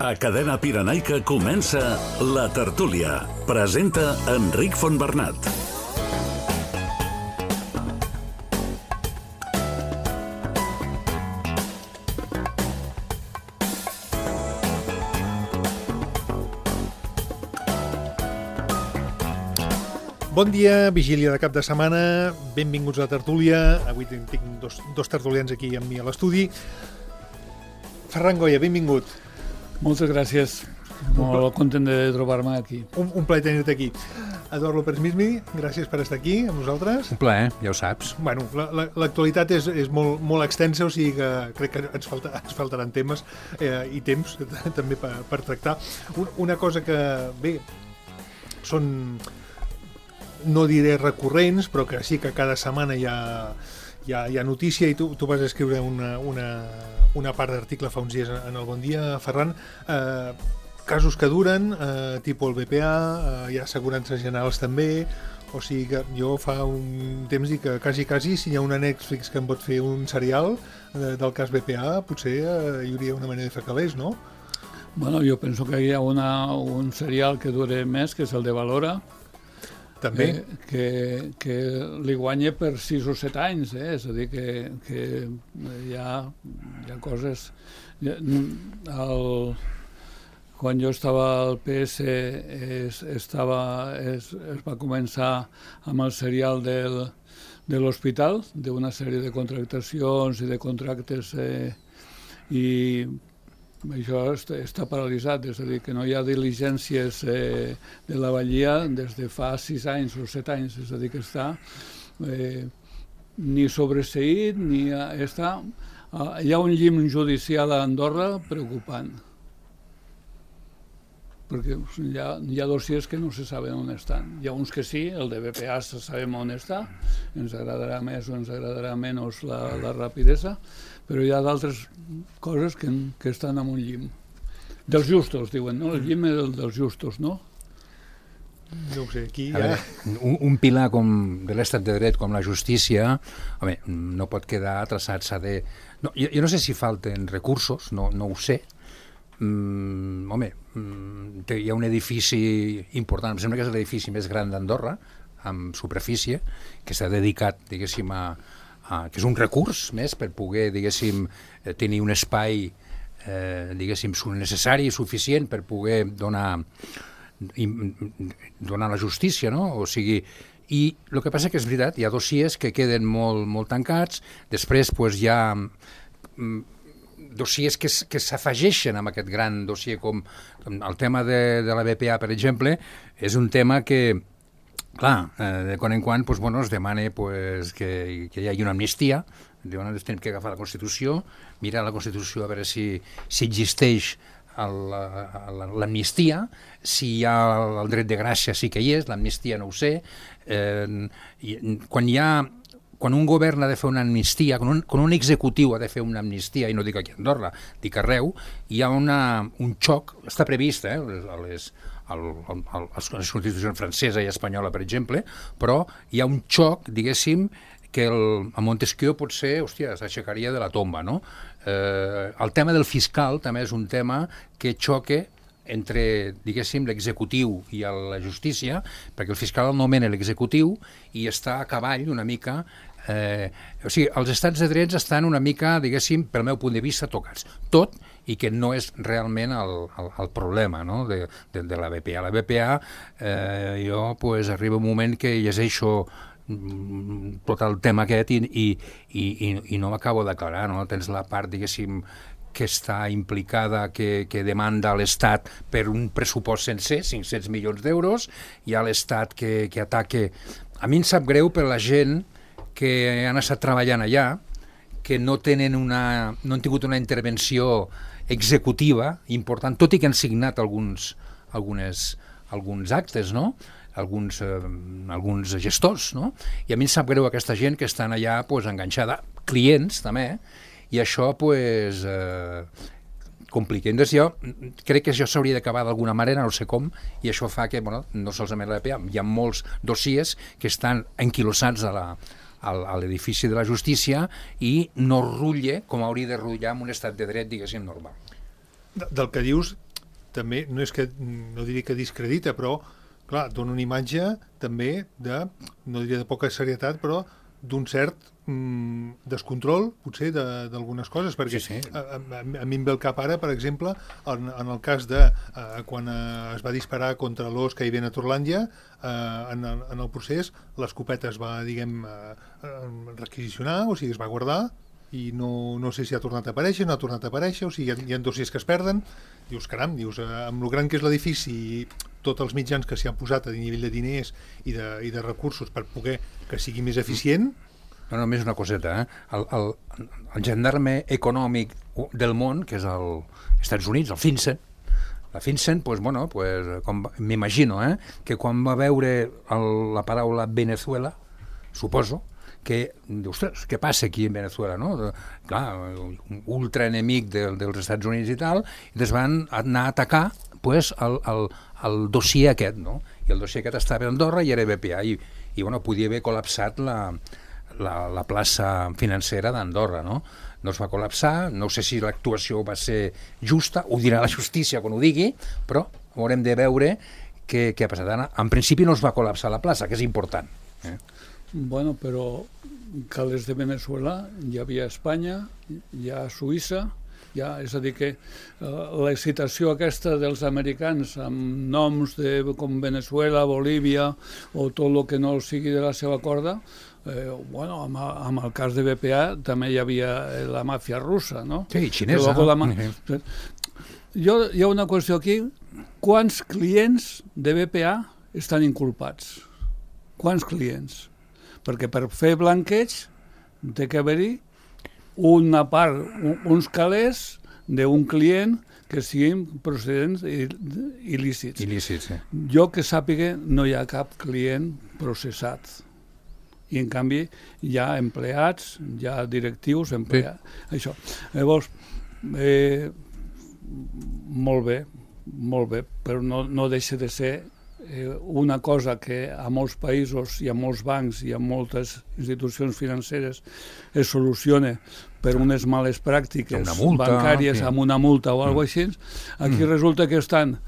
A Cadena Pirenaica comença La Tertúlia. Presenta Enric Fontbernat. Bon dia, vigília de cap de setmana, benvinguts a La Tertúlia. Avui tinc dos tertulians aquí amb mi a l'estudi. Ferran Goya, benvingut. Moltes gràcies, molt content de trobar-me aquí. Un plaer tenir-te aquí. Eduard López Mismi, gràcies per estar aquí amb nosaltres. Un plaer, ja ho saps. Bueno, l'actualitat és molt extensa, o sigui que crec que ens faltaran temes i temps també per tractar. Una cosa que, bé, són, no diré recurrents, però que sí que cada setmana hi ha notícia, i tu vas escriure una part d'article fa uns dies en el Bon Dia, Ferran, casos que duren, tipus el BPA, hi ha assegurances generals també, o sigui que jo fa un temps dic que quasi si hi ha una Netflix que em pot fer un serial del cas BPA, potser hi hauria una manera de fer calés, no? Bueno, jo penso que hi ha un serial que dure més, que és el de Valora, també. Que li guanya per 6 o 7 anys, és a dir, que hi ha coses... Quan jo estava al PS es va començar amb el serial de l'hospital, d'una sèrie de contractacions i de contractes, i això està paralitzat, és a dir, que no hi ha diligències de la Vallia des de fa 6 anys o 7 anys, és a dir, que està ni sobreseït, ni està... Hi ha un llim judicial a Andorra preocupant, perquè hi ha dossiers que no se saben on estan. Hi ha uns que sí, el de BPA sabem on està, ens agradarà més o ens agradarà menys la rapidesa, però hi ha d'altres coses que estan en un llim. Dels justos, diuen, no? El llim és el dels justos, no? No ho sé, aquí ja... Un pilar com de l'estat de dret com la justícia, home, no pot quedar traçat, s'ha de... No, jo no sé si falten recursos, no ho sé. Home, hi ha un edifici important, em sembla que és l'edifici més gran d'Andorra, amb superfície, que s'ha dedicat, diguéssim, que és un recurs més per poder, diguéssim, tenir un espai, diguéssim, necessari i suficient per poder donar la justícia, no? O sigui, i el que passa que és veritat, hi ha dossiers que queden molt tancats, després hi ha dossiers que s'afegeixen amb aquest gran dossier, com el tema de la BPA, per exemple, és un tema que, clar, de quan en quan es demana que hi hagi una amnistia. Diuen, tenim que agafar la Constitució, mirar la Constitució a veure si existeix l'amnistia, si hi ha el dret de gràcia sí que hi és, l'amnistia no ho sé. Quan un govern ha de fer una amnistia, quan un executiu ha de fer una amnistia, i no dic aquí a Andorra, dic arreu, hi ha un xoc, està previst a les constitucions francesa i espanyola, per exemple, però hi ha un xoc, diguéssim, que a Montesquieu potser, s'aixecaria de la tomba, no? El tema del fiscal també és un tema que xoca entre, diguéssim, l'executiu i la justícia, perquè el fiscal el nomena l'executiu i està a cavall una mica... O sigui, els estats de drets estan una mica, diguéssim, pel meu punt de vista, tocats. Tot, i que no és realment el problema, no?, de la BPA. La BPA, jo, arriba un moment que llegeixo tot el tema aquest i no m'acabo d'aclarar, no? Tens la part, diguéssim, que està implicada, que demanda l'Estat per un pressupost sencer, 500 milions d'euros, hi ha l'Estat que ataca... A mi em sap greu per la gent que han estat treballant allà, que no han tingut una intervenció executiva important, tot i que han signat alguns actes, no?, alguns gestors, no? I a mi em sap greu aquesta gent que estan allà enganxada, clients també, i això complica. Entonces jo crec que això s'hauria d'acabar d'alguna manera, no sé com, i això fa que, no solament la BPA, hi ha molts dossiers que estan enquilossats a l'edifici de la justícia i no rutlla com hauria de rutllar en un estat de dret, diguéssim, normal. Del que dius, també no és que, no diria que discredita, però clar, dona una imatge també de, no diria de poca serietat, però d'un cert descontrol, potser, d'algunes coses, perquè sí. A mi em ve el cap ara, per exemple, en el cas de quan es va disparar contra l'os que hi havia a Torlàndia, en el procés l'escopeta es va, diguem, requisicionar, o sigui, es va guardar, i no sé si ha tornat a aparèixer, no ha tornat a aparèixer, o sigui, hi ha dossiers que es perden. Dius, caram, amb lo gran que és l'edifici i tots els mitjans que s'hi han posat a nivell de diners i de recursos per poder que sigui més eficient. No, només una coseta, el gendarme econòmic del món, que és als Estats Units, el FinCEN, la FinCEN, m'imagino, que quan va veure la paraula Venezuela, suposo, que, ostres, què passa aquí en Venezuela, no? Clar, un ultraenemic dels Estats Units i tal, i es van anar a atacar el dossier aquest, no? I el dossier aquest estava a Andorra i era BPA, i bueno, podia haver col·lapsat la plaça financera d'Andorra, no? No es va col·lapsar, no sé si l'actuació va ser justa, ho dirà la justícia quan ho digui, però haurem de veure què ha passat. En principi no es va col·lapsar la plaça, que és important. Bueno, però calés de Venezuela hi havia a Espanya, hi ha a Suïssa, és a dir que l'excitació aquesta dels americans amb noms com Venezuela, Bolívia o tot el que no sigui de la seva corda, bueno, amb el cas de BPA també hi havia la màfia russa, no? Sí, xinesa. Hi ha una qüestió aquí. Quants clients de BPA estan inculpats? Quants clients? Perquè per fer blanqueig té que haver-hi una part, uns calés d'un client que siguin procedents il·lícits. Il·lícits, sí. Jo que sàpiga no hi ha cap client processat. I en canvi hi ha empleats, hi ha directius, empleats, sí. Això. Llavors, molt bé, però no deixa de ser una cosa que a molts països i a molts bancs i a moltes institucions financeres es soluciona per unes males pràctiques bancàries amb una multa o alguna cosa així. Aquí resulta que estan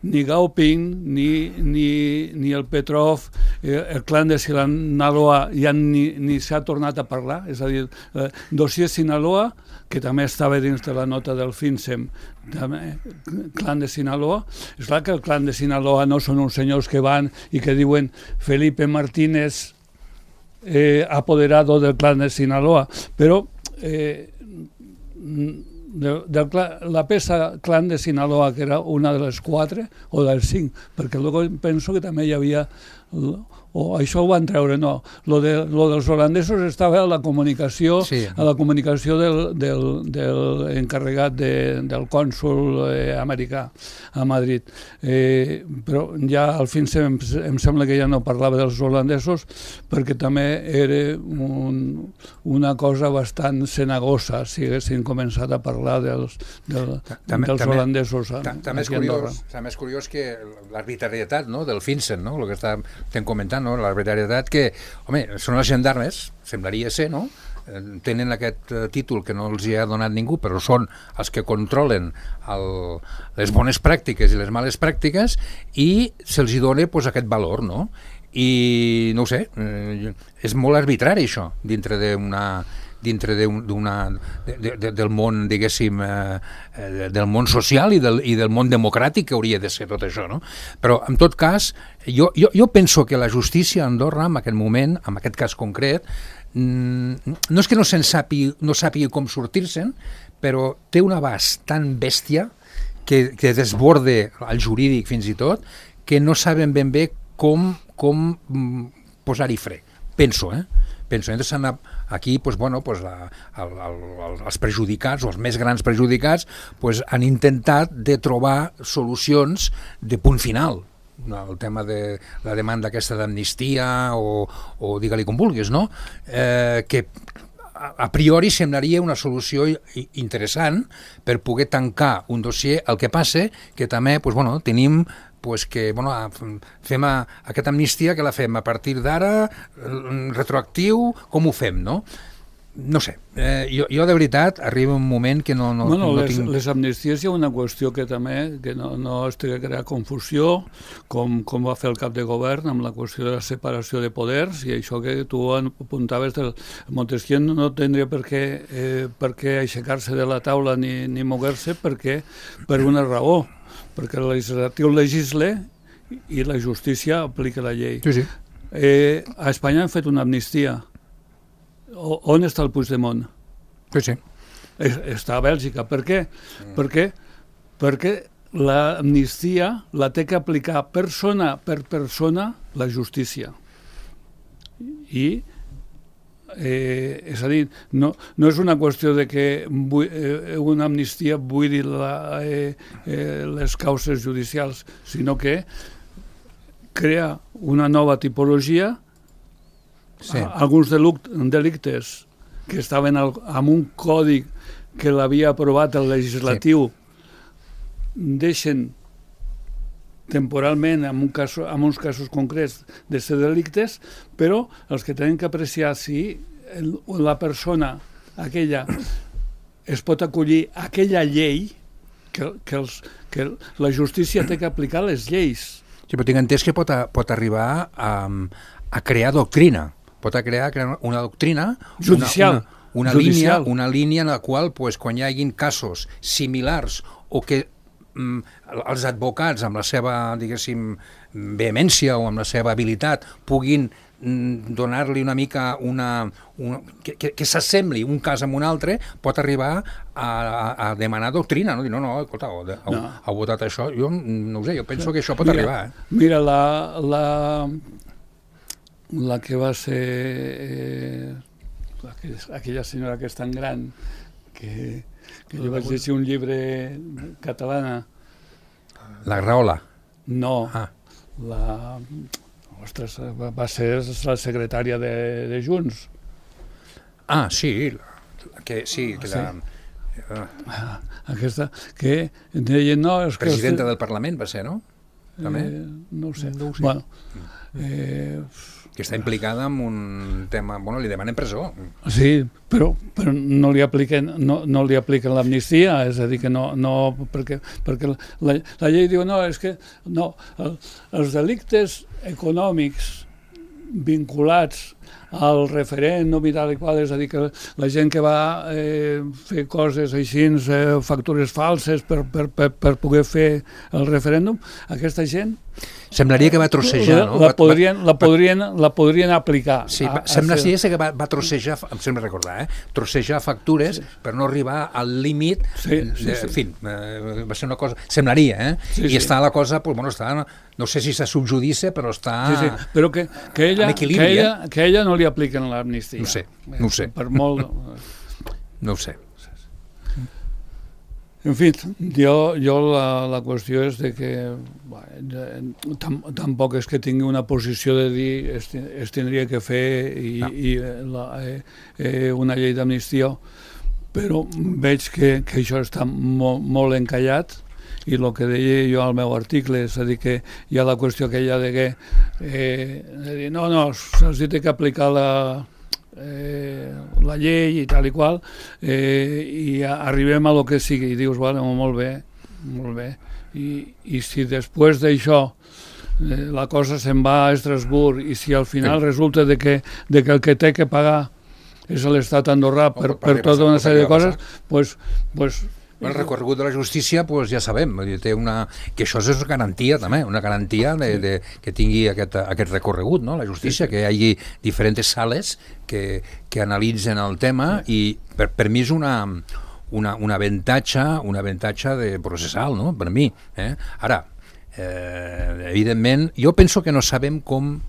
ni Gaoping, ni el Petrov, el clan de Sinaloa ja ni s'ha tornat a parlar, és a dir, dossier Sinaloa, que també estava dins de la nota del FinCEN, clan de Sinaloa. És clar que el clan de Sinaloa no són uns senyors que van i que diuen Felipe Martínez apoderado del clan de Sinaloa, però la peça clan de Sinaloa, que era una de les 4 o dels 5, perquè luego penso que també hi havia, o això ho van treure, no, lo dels holandesos estava a la comunicació, sí. A la comunicació del encarregat del cònsul americà a Madrid, però ja al fin em sembla que ja no parlava dels holandesos, perquè també era una cosa bastant cenagosa si haguessin començat a parlar dels holandesos també és curiós que l'arbitrarietat, no, del FinCEN, no, el que estem comentant, no, l'arbitrarietat que, home, són els gendarmes, semblaria ser, no? Tenen aquest títol que no els hi ha donat ningú, però són els que controlen les bones pràctiques i les males pràctiques i se'ls hi dona aquest valor, no? I no ho sé, és molt arbitrari això dintre del món, diguéssim, del món social i del món democràtic que hauria de ser tot això, no? Però, en tot cas, jo penso que la justícia a Andorra, en aquest moment, en aquest cas concret, no és que no sàpiga com sortir-se'n, però té un abast tan bèstia que desborde el jurídic fins i tot, que no saben ben bé com posar-hi fre. Penso. Entonces aquí els perjudicats o els més grans perjudicats han intentat de trobar solucions de punt final. El tema de la demanda aquesta d'amnistia o digue-li com vulguis, no? Que a priori semblaria una solució interessant per poder tancar un dossier. El que passa que també tenim que fem aquesta amnistia, que la fem a partir d'ara, retroactiu, com ho fem, no? no sé, jo de veritat arriba un moment que no tinc... Les amnisties hi ha una qüestió que també que no es té que crear confusió, com va fer el cap de govern amb la qüestió de la separació de poders, i això que tu apuntaves del Montesquieu no tindria per què aixecar-se de la taula ni moguer-se per una raó, perquè el legislatiu legisla i la justícia aplica la llei. Sí. A Espanya han fet una amnistia. On està el Puigdemont? Sí. Està a Bèlgica. Per què? Perquè l'amnistia la té que aplicar persona per persona la justícia. I és a dir, no és una qüestió de que una amnistia buidi les causes judicials, sinó que crea una nova tipologia. Sí. Alguns delictes que estaven amb un codi que l'havia aprovat el legislatiu deixen temporalment en uns casos concrets de ser delictes, però els que tenen que apreciar si la persona aquella es pot acollir a aquella llei que la justícia té que aplicar les lleis. Sí, però tinc entès que pot arribar a crear doctrina. Pot crear una doctrina judicial, una línia en la qual quan hi hagin casos similars o que els advocats amb la seva, diguéssim, vehemència o amb la seva habilitat puguin donar-li una mica que s'assembli un cas amb un altre, pot arribar a demanar doctrina, no? Dir, no, escolta, heu votat això, jo no ho sé, jo penso que això pot arribar. Mira, la que va ser aquella senyora que és tan gran que jo vaig llegir un llibre catalana. La Graola? No, ostres, va ser la secretària de Junts. Ah, sí, aquesta, que deien, no... Presidenta del Parlament va ser, no? També? No ho sé. Bueno, que està implicada en un tema... Bueno, li demanen presó. Sí, però no li apliquen l'amnistia, és a dir, que no perquè la llei diu, no, és que no, els delictes econòmics vinculats al referèndum i tal i qual, és a dir, que la gent que va fer coses així, factures falses per poder fer el referèndum, aquesta gent semblaria que va trossejar, no? La podrien aplicar. Sí, semblaria que va trossejar, em sembla recordar, trossejar factures per no arribar al límit. En fi, va ser una cosa... Semblaria, I està la cosa, no sé si s'ha subjudice, però està... Sí, però que ella no li apliquen l'amnistia. No ho sé. Per molt... No ho sé. En fi, jo la qüestió és de que tampoc és que tingui una posició de dir es tindria que fer una llei d'amnistia, però veig que això està molt encallat, i el que deia jo al meu article, és a dir, que hi ha la qüestió aquella de dir, no, se'ls té que aplicar la llei i tal i qual, i arribem a lo que sigui, i dius, bueno, molt bé, i si després d'això la cosa se'n va a Estrasburg, i si al final resulta de que el que té que pagar és l'Estat andorrà per tota una sèrie de coses, doncs el recorregut de la justícia, ja sabem, que això és garantia també, una garantia que tingui aquest recorregut, no? La justícia, que hi hagi diferents sales que analitzen el tema, i per mi és un avantatge de processal, no? Per mi. Ara, evidentment, jo penso que no sabem com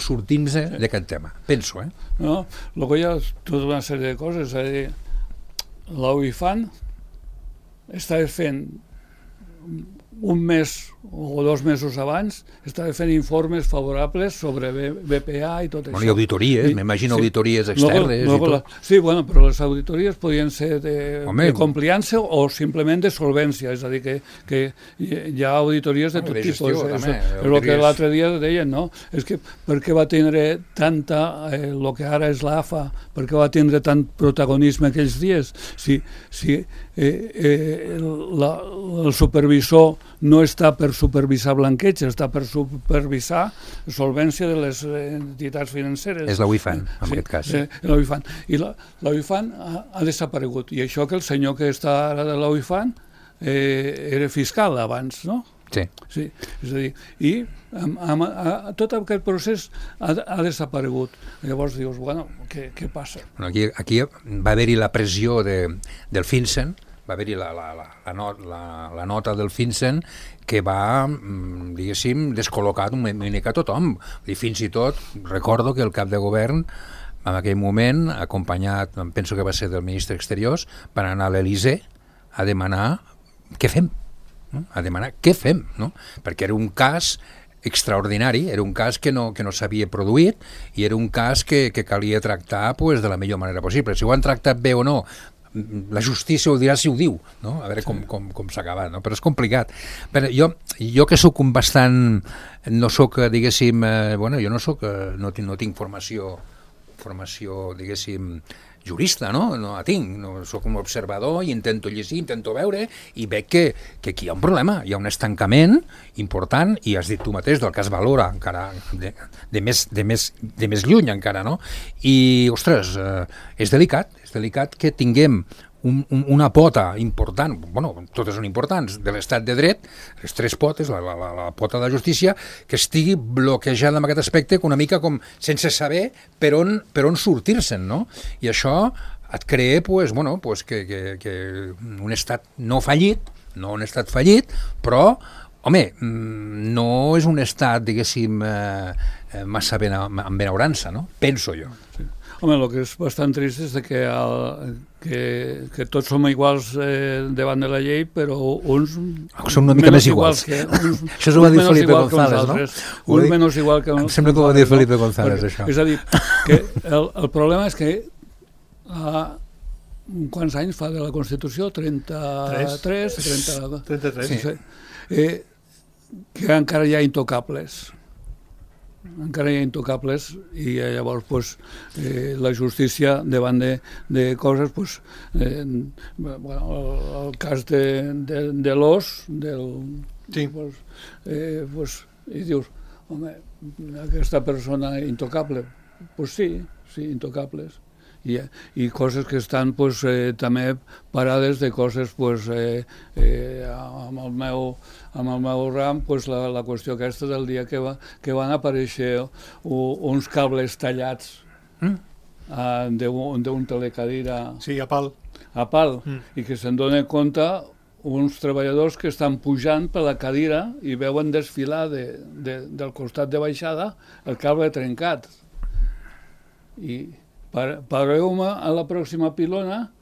sortim-nos d'aquest tema. Penso, No, el que hi ha tota una sèrie de coses, és a dir, l'OIFAN està fent un mes o 2 mesos abans estava fent informes favorables sobre BPA i tot això. I auditories, m'imagino auditories externes. i tot. Sí, però les auditories podien ser de compliança o simplement de solvència, és a dir, que hi ha auditories de tot tipus. És el que l'altre dia deien, no? És que per què va tindre tanta, el que ara és l'AFA, per què va tindre tant protagonisme aquells dies? Si el supervisor no està per supervisar blanqueig, està per supervisar solvència de les entitats financeres. És la UIFAN, en aquest cas. La UIFAN. I la UIFAN ha desaparegut. I això que el senyor que està ara de la UIFAN era fiscal abans, no? Sí. És a dir, i tot aquest procés ha desaparegut. Llavors dius, bueno, què passa? Aquí va haver-hi la pressió del FinCEN, va haver-hi la nota del FinCEN que va, diguéssim, descol·locar una mica tothom. I fins i tot recordo que el cap de govern en aquell moment, acompanyat, penso que va ser del ministre d'Exteriors, van anar a l'Elysée a demanar què fem, no? A demanar què fem, no? Perquè era un cas extraordinari, era un cas que no s'havia produït i era un cas que calia tractar de la millor manera possible. Si ho han tractat bé o no, la justícia ho dirà si ho diu, no? A veure com s'ha acabat, no? Però és complicat. Però jo que soc bastant, no soc, diguéssim, jo no tinc formació, diguéssim, jurista, no la tinc, soc un observador i intento llegir, intento veure i veig que aquí hi ha un problema, hi ha un estancament important i has dit tu mateix del cas Valora encara de més lluny encara, no? I, ostres, és delicat que tinguem una pota important, totes són importants, de l'estat de dret, les 3 potes, la pota de la justícia, que estigui bloquejada en aquest aspecte una mica com sense saber per on sortir-se'n, no? I això et crea que un estat no fallit, no un estat fallit, però, home, no és un estat, diguéssim, massa amb benaurança, no? Penso jo. Sí. Home, el que és bastant trist és que tots som iguals davant de la llei, però uns són una mica més iguals. Això s'ho va dir Felipe González, no? Uns menys igual que uns. Em sembla que ho va dir Felipe González, això. És a dir, que el problema és que quants anys fa de la Constitució? 33? 33. Sí. Que encara hi ha intocables. I llavors la justícia davant de coses el cas de l'os i dius, home, aquesta persona intocable, sí, intocables i coses que estan també parades de coses amb el meu ram, la qüestió aquesta del dia que van aparèixer uns cables tallats d'un telecadira a pal, i que se'n donen compte uns treballadors que estan pujant per la cadira i veuen desfilar del costat de baixada el cable trencat i pareu-me a la pròxima pilona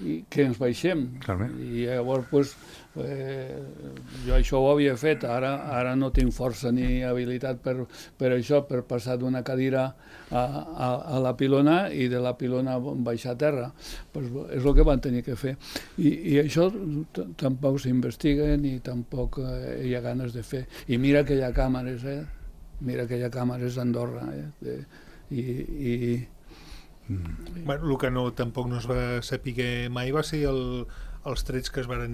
i que ens baixem. I llavors jo això ho havia fet, ara no tinc força ni habilitat per això, per passar d'una cadira a la pilona i de la pilona baixar a terra. És el que van tenir que fer. I això tampoc s'investiga ni tampoc hi ha ganes de fer. I mira que hi ha càmeres, mira que hi ha càmeres a Andorra. El que tampoc no es va saber mai va ser els trets que es van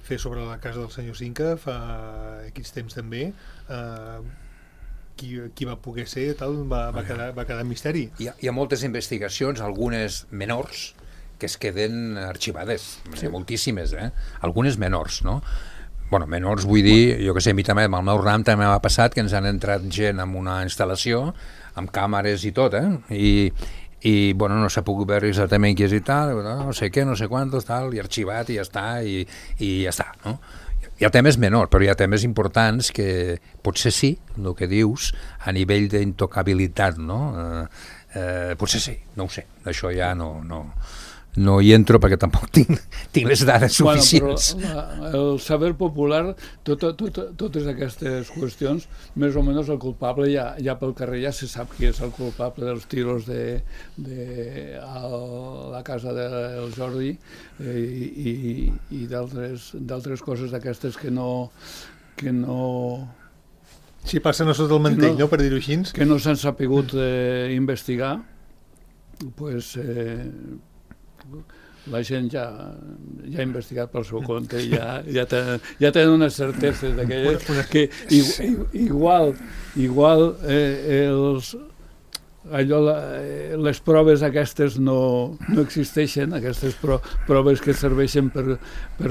fer sobre la casa del senyor Cinca fa X temps també. Qui va poder ser, va quedar en misteri. Hi ha moltes investigacions, algunes menors, que es queden arxivades, moltíssimes, algunes menors, no? Menors vull dir, jo que sé, a mi també, amb el meu ram també m'ha passat que ens han entrat gent en una instal·lació, amb càmeres i tot, i no s'ha pogut veure exactament qui és i tal, no sé què, no sé quantos, tal, i arxivat i ja està, i ja està, no? Hi ha temes menors, però hi ha temes importants que potser sí, el que dius, a nivell d'intocabilitat, no? Potser sí, no ho sé, això ja no no hi entro perquè tampoc tinc les dades suficients. Però el saber popular, totes aquestes qüestions, més o menys el culpable ja pel carrer ja se sap qui és el culpable dels tiros a la casa del Jordi i d'altres coses d'aquestes que no si passen a sota el mantell, no, per dir-ho així. Que no s'han sapigut investigar, pues, la gent ja ha investigat pel seu compte i ja tenen unes certeses d'aquelles que igual les proves aquestes no existeixen, aquestes proves que serveixen per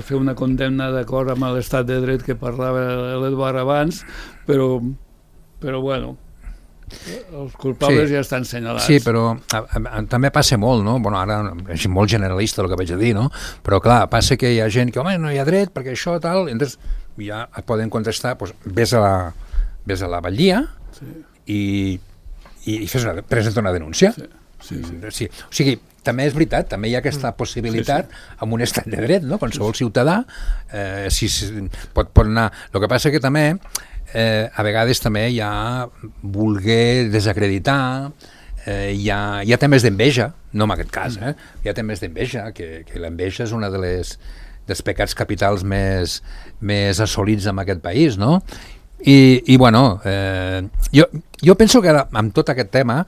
fer una condemna d'acord amb l'estat de dret que parlava l'Eduard abans, però bueno, els culpables ja estan senyalats. Sí, però també passa molt, no? Bueno, ara és molt generalista el que vaig a dir, no? Però clar, passa que hi ha gent que, home, no hi ha dret perquè això, tal, entonces ja et poden contestar, doncs, vés a la batllia i presenta una denúncia. Sí. O sigui, també és veritat, també hi ha aquesta possibilitat amb un estat de dret, no? Qualsevol ciutadà pot anar. El que passa que també a vegades també hi ha voler desacreditar, hi ha temes d'enveja, no en aquest cas, hi ha temes d'enveja, que l'enveja és una dels pecats capitals més assolits en aquest país, no? I bueno, jo penso que ara, amb tot aquest tema,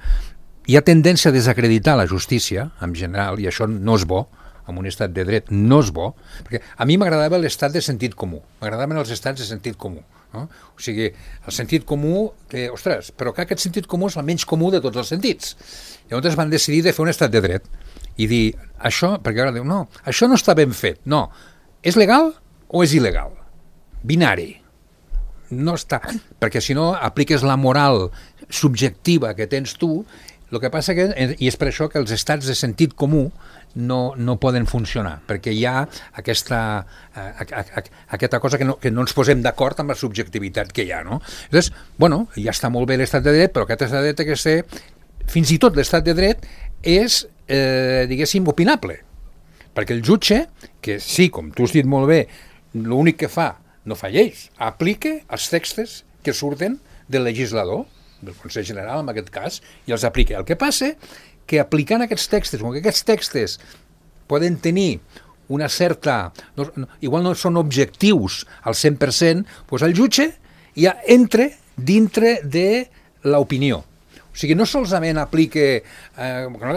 hi ha tendència a desacreditar la justícia, en general, i això no és bo, en un estat de dret no és bo, perquè a mi m'agradava l'estat de sentit comú, m'agradaven els estats de sentit comú, no? O sigui, el sentit comú, que, ostres, però que aquest sentit comú és el menys comú de tots els sentits. Llavors van decidir de fer un estat de dret i dir, això, perquè ara diu, no, això no està ben fet, no, és legal o és il·legal? Binari. No està, perquè si no apliques la moral subjectiva que tens tu, el que passa que, i és per això que els estats de sentit comú no poden funcionar, perquè hi ha aquesta cosa que no ens posem d'acord amb la subjectivitat que hi ha, no? Llavors, bueno, ja està molt bé l'estat de dret, però aquest estat de dret que ser, fins i tot l'estat de dret és, diguéssim, opinable, perquè el jutge, que sí, com tu has dit molt bé, l'únic que fa, no fa lleis, aplica els textos que surten del legislador, del Consell General en aquest cas, i els aplica. El que passa que aplicant aquests textos, com que aquests textos poden tenir una certa... igual no són objectius al 100%, doncs el jutge ja entra dintre de l'opinió. O sigui, no solament aplica...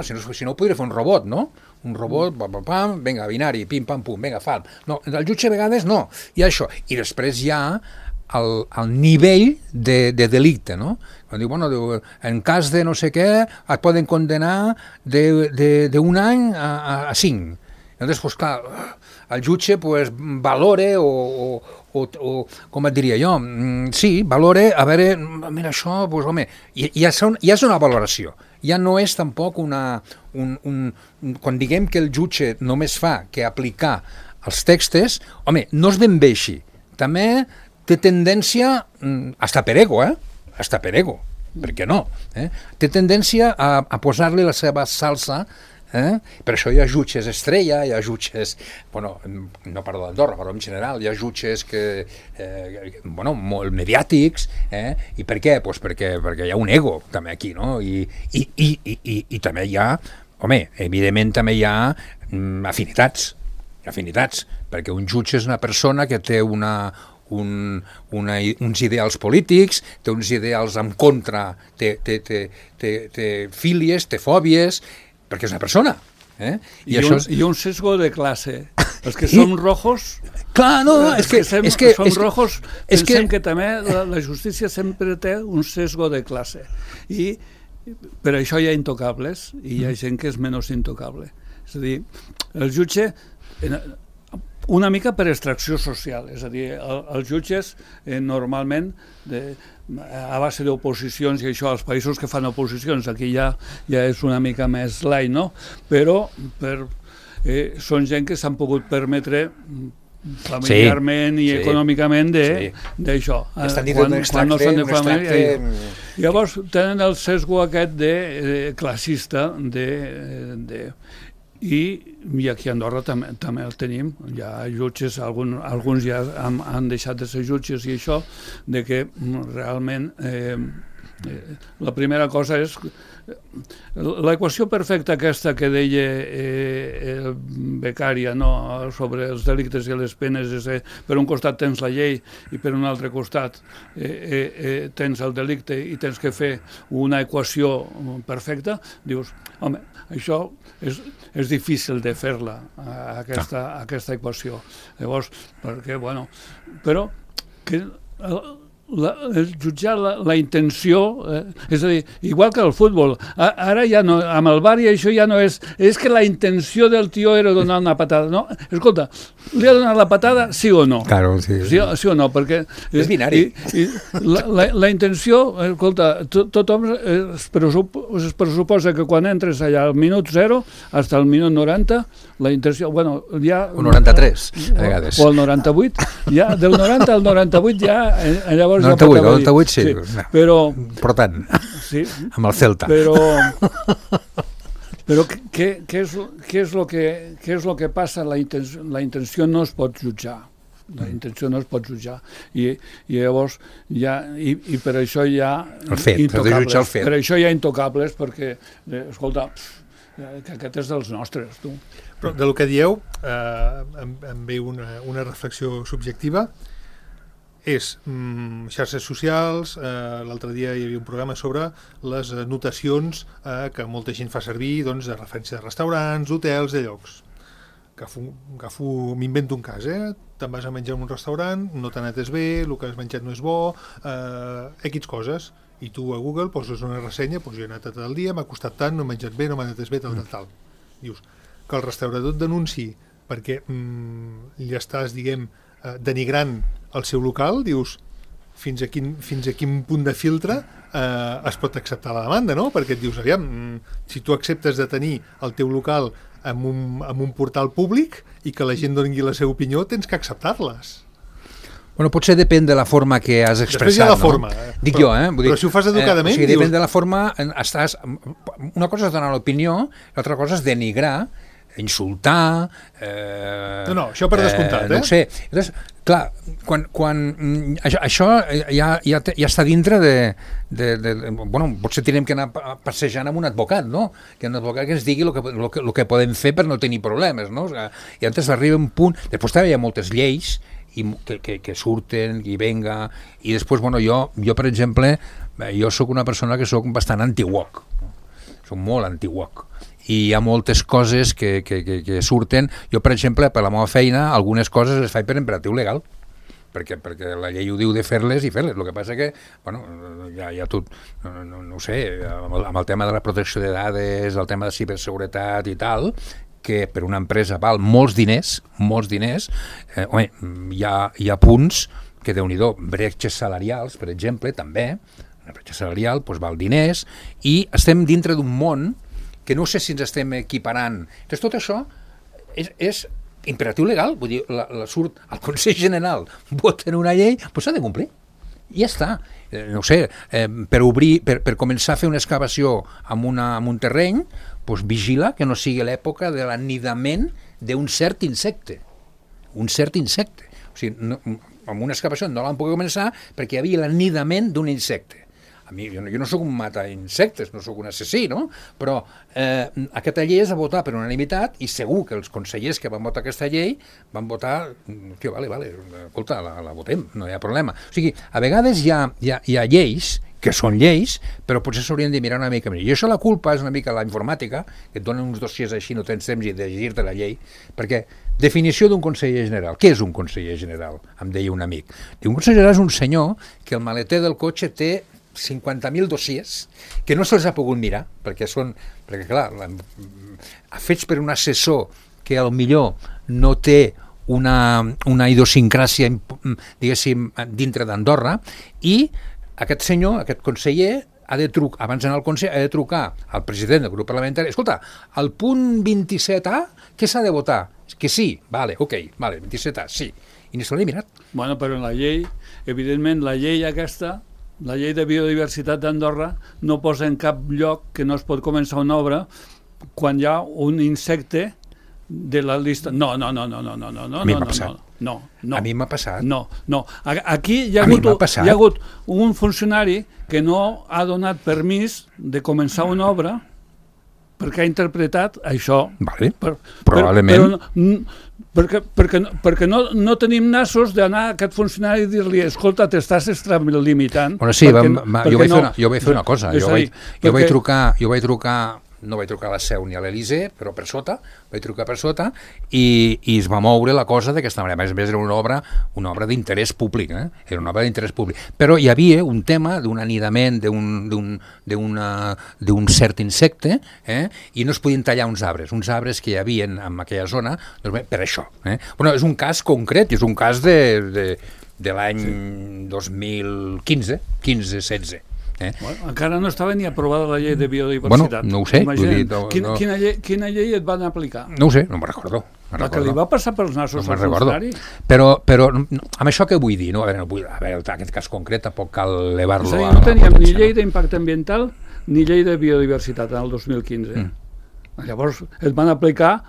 si no ho podria fer un robot, no? Un robot, pam, vinga, binari, pim, pam, pum, vinga, fal. No, el jutge a vegades no, hi ha això. I després hi ha el nivell de delicte, no? Quan diu, bueno, en cas de no sé què, et poden condenar d'un any a 5. Llavors, pues, clar, el jutge pues, valore o com et diria jo, sí, valore, a veure, mira això, pues, home, ja és una valoració. Ja no és tampoc quan diguem que el jutge només fa que aplicar els textos, home, no és ben bé així. També té tendència, hasta per ego, hasta per ego, per què no? Té tendència a posar-li la seva salsa. Per això hi ha jutges estrella, hi ha jutges, bueno, no parlo d'Andorra, però en general hi ha jutges que, bueno, molt mediàtics, i per què? Pues perquè hi ha un ego també aquí, no? I també hi ha, home, evidentment també hi ha afinitats, perquè un jutge és una persona que té uns ideals polítics, té uns ideals en contra, té fílies, té fòbies, perquè és una persona. I un sesgo de classe. Els que som rojos... Clar, no, és que som rojos, pensem que també la justícia sempre té un sesgo de classe. I per això hi ha intocables i hi ha gent que és menys intocable. És a dir, el jutge... Una mica per extracció social, és a dir, els jutges normalment a base d'oposicions i això, als països que fan oposicions, aquí ja és una mica més light, no? Però són gent que s'han pogut permetre familiarment i econòmicament d'això. Quan no són de família. Llavors tenen el sesgo aquest de classista, i aquí a Andorra també el tenim. Hi ha jutges, alguns ja han deixat de ser jutges i això, de que realment la primera cosa és l'equació perfecta aquesta que deia Beccaria, no? Sobre els delictes i les penes, és per un costat tens la llei i per un altre costat tens el delicte i tens que fer una equació perfecta. Dius, home, això és difícil de fer-la, aquesta equació. Llavors, perquè, bueno, però que jutjar la intenció, és a dir, igual que el futbol, ara ja no, amb el VAR i això ja no és que la intenció del tio era donar una patada, no, escolta, li ha donat la patada sí o no? Claro, sí. Sí o no, perquè és binari. La intenció, escolta, tothom es pressuposa que quan entres allà al minut 0 fins al minut 90, la intenció, bueno, ja... O 93, a vegades. O el 98, ja, del 90 al 98 ja, llavors 98 sí. Però tant, sí, amb el Celta. Però què és lo que passa? La intenció no es pot jutjar. La intenció no es pot jutjar. I llavors i per això hi ha intocables. Per això hi ha intocables, perquè, escolta, que aquest és dels nostres, tu. Però del que dieu, em ve una reflexió subjectiva. És xarxes socials. L'altre dia hi havia un programa sobre les notacions que molta gent fa servir, doncs, de referència de restaurants, hotels, de llocs. M'invento un cas, te'n vas a menjar en un restaurant, no t'ha netes bé, el que has menjat no és bo, X coses, i tu a Google poses una ressenya, doncs jo he anat tot el dia, m'ha costat tant, no he menjat bé, no m'ha netes bé, tal. Dius que el restaurador et denunciï perquè li estàs, diguem, denigrant el seu local, dius fins a quin punt de filtre es pot acceptar la demanda, no? Perquè et dius, aviam, si tu acceptes de tenir el teu local en un portal públic i que la gent doni la seva opinió, tens que acceptar-les. Bueno, potser depèn de la forma que has expressat. Després hi ha la forma. Dic jo, vull dir, però si ho fas educadament... O sigui, depèn de la forma... Una cosa és donar l'opinió, l'altra cosa és denigrar, insultar... No, això per descomptat, No ho sé. Llavors, clar, quan això ja està dintre de... Bueno, potser tenim que anar passejant amb un advocat, no? Que un advocat que ens digui el que podem fer per no tenir problemes, no? I antes arriba un punt... Després també hi ha moltes lleis que surten, i venga, i després, bueno, jo per exemple, jo sóc una persona que sóc bastant anti-woke, sóc molt anti-woke, i hi ha moltes coses que surten. Jo, per exemple, per la meva feina, algunes coses les faig per imperatiu legal, perquè la llei ho diu de fer-les i fer-les. El que passa que, bueno, hi ha tot, no ho sé, amb el tema de la protecció de dades, el tema de ciberseguretat i tal, que per una empresa val molts diners, home, hi ha punts que, Déu-n'hi-do, bretxes salarials, per exemple, també, una bretxa salarial doncs val diners, i estem dintre d'un món que no sé si ens estem equiparant. Doncs tot això és imperatiu legal, vull dir, surt al Consell General, voten una llei, doncs s'ha de complir. I ja està. No sé, per començar a fer una excavació en un terreny, doncs vigila que no sigui l'època de l'anidament d'un cert insecte. Un cert insecte. O sigui, amb una excavació no l'han pogut començar perquè hi havia l'anidament d'un insecte. A mi, jo no sóc un mata insectes, no sóc un assassí, no? Però aquesta llei es va votar per unanimitat i segur que els consellers que van votar aquesta llei van votar, tio, vale, escolta, la votem, no hi ha problema. O sigui, a vegades hi ha lleis que són lleis, però potser s'haurien de mirar una mica més. I això la culpa és una mica la informàtica, que et donen uns dossiers així, no tens temps de llegir-te la llei, perquè definició d'un conseller general. Què és un conseller general? Em deia un amic. Un conseller general és un senyor que el maleter del cotxe té 50.000 dossiers que no se'ls ha pogut mirar, perquè clar, fets per un assessor que millor no té una idiosincràsia, diguéssim, dintre d'Andorra, i aquest senyor, aquest conseller, abans d'anar al Consell, ha de trucar al president del grup parlamentari. Escolta, al punt 27A, què s'ha de votar? Que sí, vale, 27A, sí. I ni se l'he mirat. Bueno, però en la llei, evidentment, la llei aquesta, la llei de biodiversitat d'Andorra, no posa en cap lloc que no es pot començar una obra quan hi ha un insecte de la llista... No. A mi m'ha passat. No. A mi m'ha passat. No. Aquí hi ha hagut un funcionari que no ha donat permís de començar una obra perquè ha interpretat això. Vale. Probablement. Perquè no tenim nassos d'anar a aquest funcionari i dir-li escolta, t'estàs extralimitant. Bueno, sí, jo vaig fer una cosa. Jo vaig trucar no vaig trucar a la Seu ni a l'Elysée, però vaig trucar per sota i es va moure la cosa d'aquesta manera. A més, era una obra d'interès públic, era una obra d'interès públic. Però hi havia un tema d'un anidament d'un cert insecte i no es podien tallar uns arbres que hi havia en aquella zona per això. Bueno, és un cas concret, és un cas de l'any 2015, 15-16. Bueno, encara no estava ni aprovada la llei de biodiversitat. Bueno, no ho sé. Quina llei et van aplicar? No ho sé, no me'n recordo. La que li va passar pels nassos al funcionari? Però amb això què vull dir? A veure, aquest cas concret tampoc cal elevar-lo a la no teníem ni llei d'impacte ambiental ni llei de biodiversitat en el 2015. Llavors et van aplicar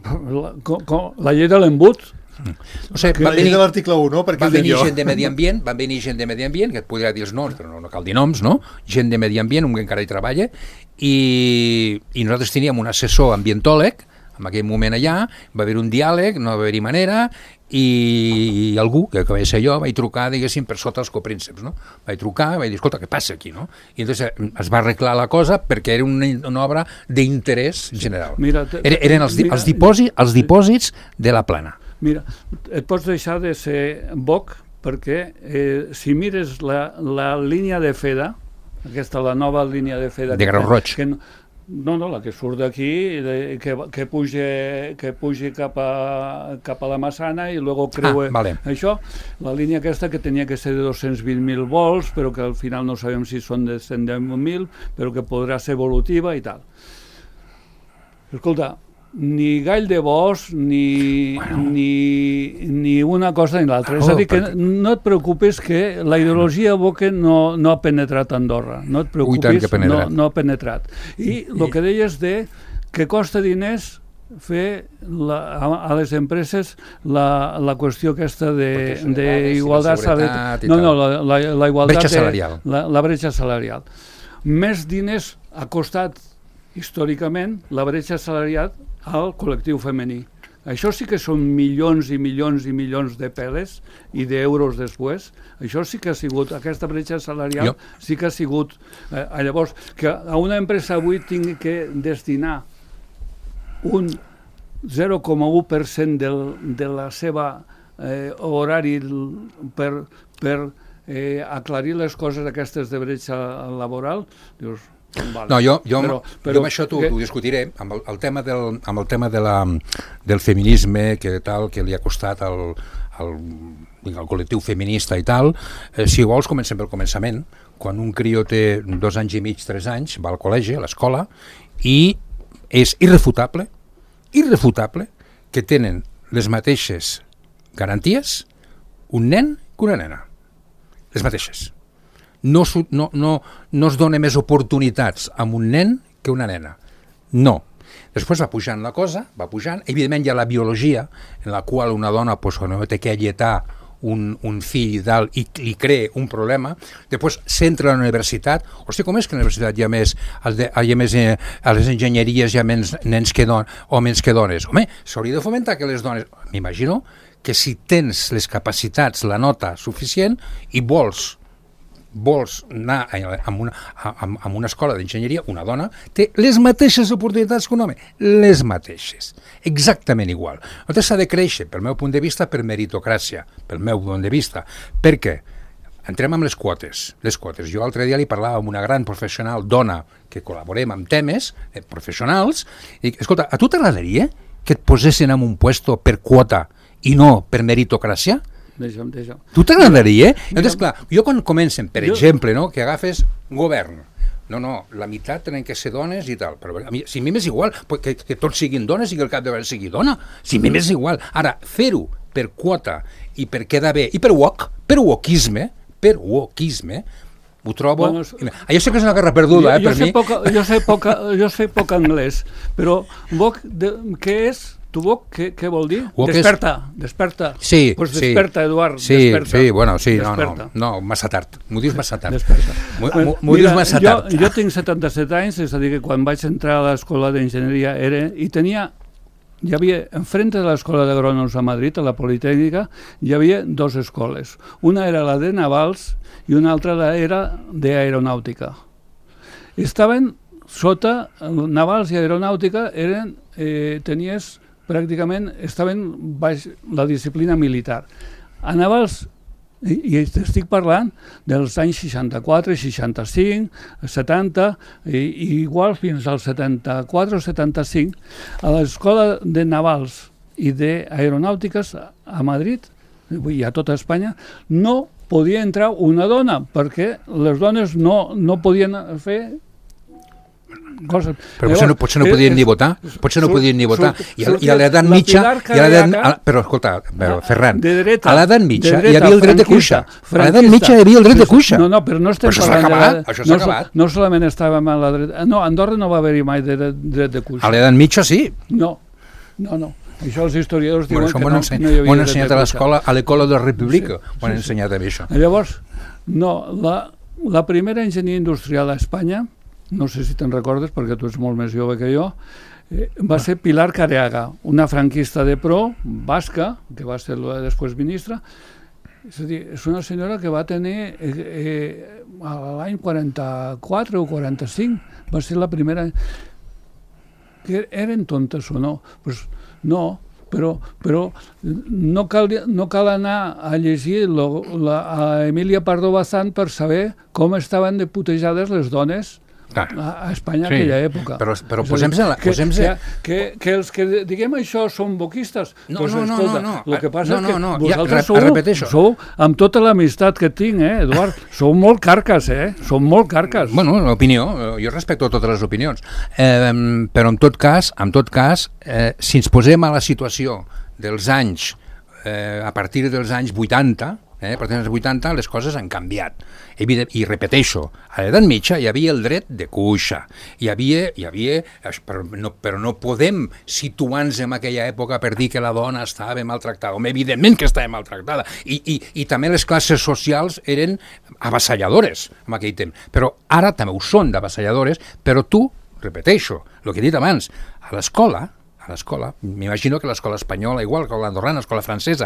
la llei de l'embut. O sigui, la llei de l'article 1, no? Van venir gent de Medi Ambient, que et podria dir els noms, però no cal dir noms, no? Gent de Medi Ambient, un que encara hi treballa, i nosaltres teníem un assessor ambientòleg, en aquell moment allà, va haver un diàleg, no va haver-hi manera, i algú, que vaig ser jo, vaig trucar, diguéssim, per sota els coprínceps, no? Vaig trucar, vaig dir, escolta, què passa aquí, no? I entonces es va arreglar la cosa perquè era una obra d'interès general. Eren els dipòsits de la Plana. Mira, et pots deixar de ser boc perquè si mires la línia de FEDA, la nova línia de FEDA... De Grau Roig. No, la que surt d'aquí, que puja cap a la Massana i luego creua això, la línia aquesta que tenia que ser de 220.000 volts, però que al final no sabem si són de 110.000, però que podrà ser evolutiva i tal. Escolta, ni gall de bosc, ni una cosa ni l'altra. És a dir, que no et preocupes que la ideologia Boque no ha penetrat a Andorra. No et preocupis, no ha penetrat. I el que deies que costa diners fer a les empreses la qüestió aquesta d'igualtat salarial. No, la igualtat... Bretxa salarial. La bretxa salarial. Més diners ha costat històricament la bretxa salarial al col·lectiu femení. Això sí que són milions i milions i milions de peles i d'euros després. Això sí que ha sigut, aquesta bretxa salarial sí que ha sigut... Llavors, que a una empresa avui tingui que destinar un 0,1% de la seva horari per aclarir les coses aquestes de bretxa laboral, dius... No, jo amb això t'ho discutiré, amb el tema del feminisme que li ha costat al col·lectiu feminista i tal. Si vols, comencem pel començament. Quan un crió té 2 anys i mig, 3 anys, va al col·legi, a l'escola, i és irrefutable que tenen les mateixes garanties un nen que una nena. Les mateixes. No es dona més oportunitats amb un nen que una nena. No. Després va pujant la cosa, evidentment hi ha la biologia, en la qual una dona quan té que alletar un fill i tal, i li crea un problema, després s'entra a la universitat. Hòstia, com és que a la universitat hi ha més a les enginyeries hi ha menys nens que homes que dones? Home, s'hauria de fomentar que les dones... M'imagino que si tens les capacitats, la nota suficient, i vols anar a una escola d'enginyeria, una dona té les mateixes oportunitats que un home, les mateixes, exactament igual. Llavors s'ha de créixer, pel meu punt de vista, per meritocràcia, pel meu punt de vista. Per què? Entrem amb les quotes. Jo l'altre dia li parlava amb una gran professional dona que col·laborem amb temes professionals i dic, escolta, a tu t'agradaria que et posessin en un puesto per quota i no per meritocràcia? Deixa'm. Tu t'agradaria? Llavors, clar, jo quan comencen, per exemple, no, que agafes govern, no, la meitat tenen que ser dones i tal, però si a mi m'és igual que tots siguin dones i que el capdavant sigui dona, si a mi m'és igual. Ara, fer-ho per quota i per quedar bé, i per wokisme, Ho trobo... Bueno, jo sé que és una guerra perduda, per mi. Jo sé poc anglès, però què és? Tu Wok, què vol dir? Desperta. Sí, pues desperta, Eduard, sí, desperta. Sí, bueno, sí, desperta. no, massa tard. M'ho dius massa tard. M'ho dius massa tard. Jo tinc 77 anys, és a dir, que quan vaig entrar a l'escola d'enginyeria hi havia, enfrente de l'escola d'agrònoms a Madrid, a la Politècnica, hi havia dues escoles. Una era la de navals i una altra era d'aeronàutica. Estaven sota, navals i aeronàutica tenies pràcticament, estaven baix la disciplina militar. A navals, i estic parlant dels anys 64, 65, 70, i igual fins al 74 o 75, a l'escola de navals i d'aeronàutiques a Madrid, i a tota Espanya, no podia entrar una dona, perquè les dones no podien fer coses. Però potser no podien ni votar. Potser no podien ni votar. I a l'edat mitja... Però escolta, Ferran, a l'edat mitja hi havia el dret de cuixa. A l'edat mitja hi havia el dret de cuixa. No, però no estem parlant... Això s'ha acabat. No solament estàvem a la dreta... No, a Andorra no va haver-hi mai dret de cuixa. A l'edat mitja sí. No. Això els historiadors diuen que no hi havia dret de cuixa. M'ho han ensenyat a l'escola, a l'École de la República. M'ho han ensenyat a mi, això. Llavors, no, la primera enginyeria industrial a Espanya, no sé si te'n recordes perquè tu ets molt més jove que jo, va ser Pilar Careaga, una franquista de pro, basca, que va ser després ministra. És a dir, és una senyora que va tenir l'any 44 o 45, va ser la primera... Que eren tontes o no? Pues no, però no cal anar a llegir a Emília Pardo Bazán per saber com estaven de putejades les dones a Espanya en aquella època. Però posem-se... Que els que diguem això són boquistes, no. El que passa és que vosaltres sou, amb tota l'amistat que tinc, Eduard, sou molt carques, sou molt carques. Bueno, l'opinió, jo respecto totes les opinions, però en tot cas, si ens posem a la situació dels anys, a partir dels anys 80, a partir dels 80 les coses han canviat. I repeteixo, a l'edat mitja hi havia el dret de cuixa. Però no podem situar-nos en aquella època per dir que la dona estava maltractada. Evidentment que estava maltractada. I també les classes socials eren avassalladores en aquell temps. Però ara també ho són d'avassalladores, però tu, repeteixo, el que he dit abans, a l'escola, m'imagino que l'escola espanyola, igual que l'andorrana, l'escola francesa,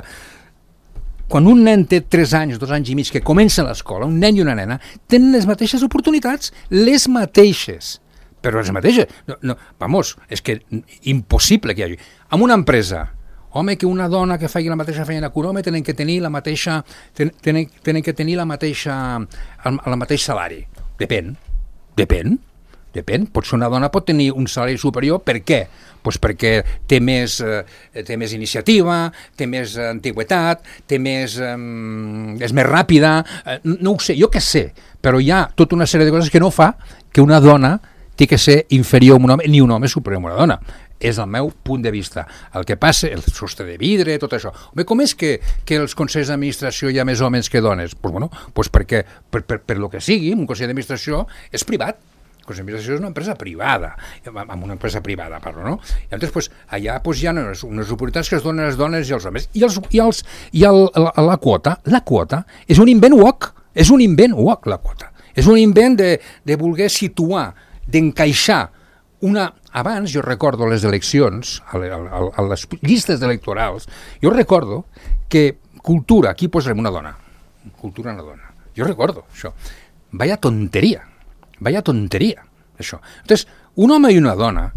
quan un nen té 3 anys, 2 anys i mig, que comença l'escola, un nen i una nena, tenen les mateixes oportunitats, les mateixes. Però les mateixes. És que impossible que hi hagi. En una empresa, home, que una dona que faci la mateixa feina que un home tenen que tenir el mateix salari. Depèn. Potser una dona pot tenir un salari superior. Per què? Pues perquè té més iniciativa, té més antigüitat, és més ràpida, no ho sé, jo què sé, però hi ha tota una sèrie de coses que no fa que una dona té que ser inferior a un home, ni un home superior a una dona. És el meu punt de vista. El que passa, el sostre de vidre, tot això. Home, com és que els consells d'administració hi ha més homes que dones? Pues perquè, per lo que sigui, un consell d'administració és privat. El consell d'administració és una empresa privada, amb una empresa privada parlo, no? I llavors allà hi ha unes oportunitats que es donen a les dones i als homes. I la quota és un invent woke, la quota. És un invent de voler situar, d'encaixar Abans, jo recordo les eleccions, a les llistes electorals, jo recordo que cultura, aquí posarem una dona. Cultura una dona. Jo recordo això. Vaya tonteria, això. Entonces, un home i una dona